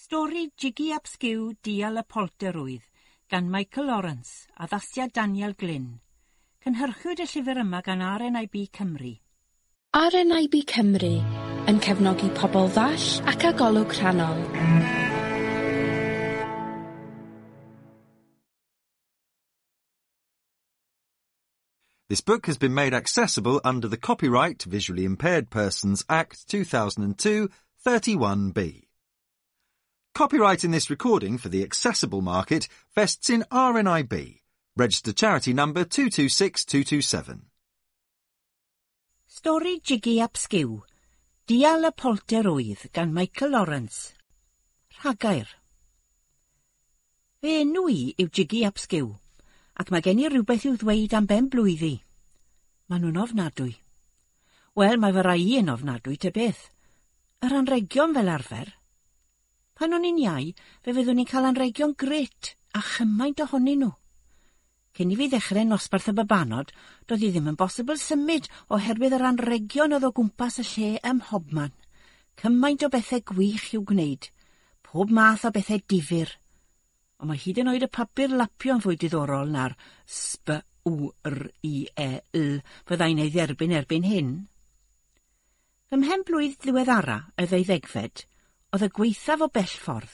Stori Jiggy ap Sgiw Dial y Polterwydd gan Michael Lawrence, addasiad Daniel Glyn. Cynhyrchwyd y llyfr yma gan RNIB Cymru. RNIB Cymru, yn cefnogi pobl ddall ac â golwg rhannol. This book has been made accessible under the Copyright Visually Impaired Persons Act 2002 31B. Copyright in this recording for the accessible market vests in RNIB, registered charity number 226227. Stori Jiggy ap Sgiw, Dial y Polterwydd gan Michael Lawrence. Rhagair. Fy enw i yw Jiggy ap Sgiw, ac mae gen i rhywbeth i'w ddweud am ben blwyddi. Maen nhw'n ofnadwy. Wel, mae fy rai i yn ofnadwy ta beth. Yr anregion fel arfer. Pan o'n i'n iau, fe fyddwn i'n cael anregion grêt, a chymaint ohonyn nhw. Cyn i fi ddechrau nosbarth y babanod, doedd hi ddim yn bosibl symud oherwydd yr anregion oedd o gwmpas y lle ym mhobman. Cymaint o bethau gwych i'w gwneud. Pob math o bethau difyr. Ond mae hyd yn oed y papur lapio'n fwy diddorol na'r S B W R I E L fyddai'n ei dderbyn erbyn hyn. Fy mhen blwydd ddiweddara, y ddeuddegfed, oedd y gwaethaf o bell ffordd.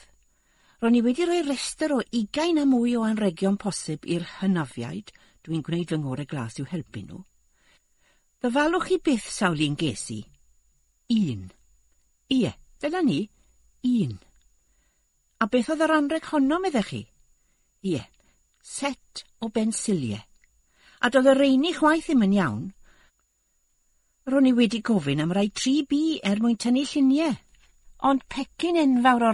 Ro'n i wedi rhoi rhestr o 20 a mwy o anregion posib i'r hynafiaid, dwi'n gwneud fy ngorau glas i'w helpu nhw. Ddyfalwch chi byth sawl un ges i? Un. Ie, dyna ni, un. A beth oedd yr anreg honno, meddech chi? Ie, set o bensiliau. A doedd y rheini chwaith ddim yn iawn. Ro'n i wedi gofyn am rai 3B er mwyn tynnu lluniau, ond pecyn enfawr o